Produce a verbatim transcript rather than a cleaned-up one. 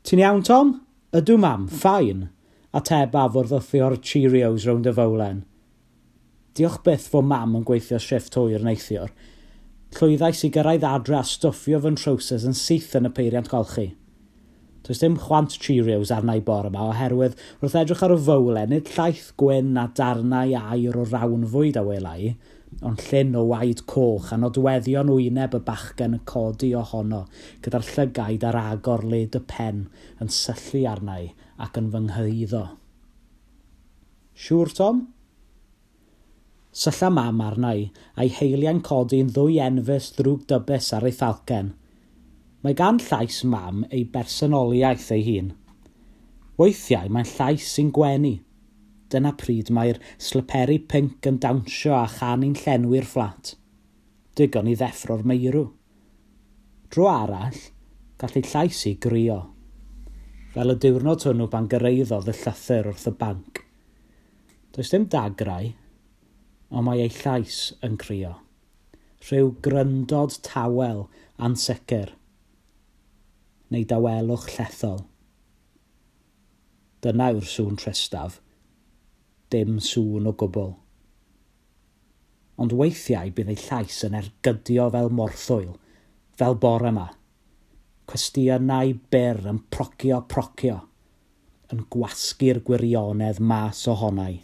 Ti'n iawn, Tom? Ydw, mam, fine, atebaf wrth wthio'r Cheerios rownd y fowlen. Diolch byth fod mam yn gweithio shifft hwyr neithiwr. Llwyddais i gyrraedd adre a stwffio fy nhrowsus yn syth yn y peiriant golchi. Does dim chwant Cheerios arna i bore yma oherwydd wrth edrych ar y fowlen, nid llaeth gwyn a darnau aur o rawnfwyd a wela i, ond llyn o waed coch a nodweddion wyneb y bachgen yn codi ohono, gyda'r llygaid ar agor led y pen yn syllu arna i ac yn fy nghyhuddo. Siŵr, Tom? Sylla mam arna i, a'i heiliau'n codi'n ddwy enfys ddrwg dybus ar ei thalcen. Mae gan llais mam ei bersonoliaeth ei hun. Weithiau mae'n llais sy'n gwenu. Dyna pryd mae'r sliperi pinc yn dawnsio a chanu'n llenwi'r fflat. Digon i ddeffro'r meirw. Dro arall, gall ei llais i grio. Fel y diwrnod hwnnw pan gyrraeddodd y llythyr wrth y banc. Does dim dagrau, ond mae ei llais yn crio. Rhyw gryndod tawel ansicr, neu dawelwch llethol. Dyna yw'r sŵn tristaf. Dim sŵn o gwbl. Ond weithiau bydd ei llais yn ergydio fel morthwyl, fel bore yma. Cwestiynau byr yn procio procio, yn gwasgu'r gwirionedd mas ohonai.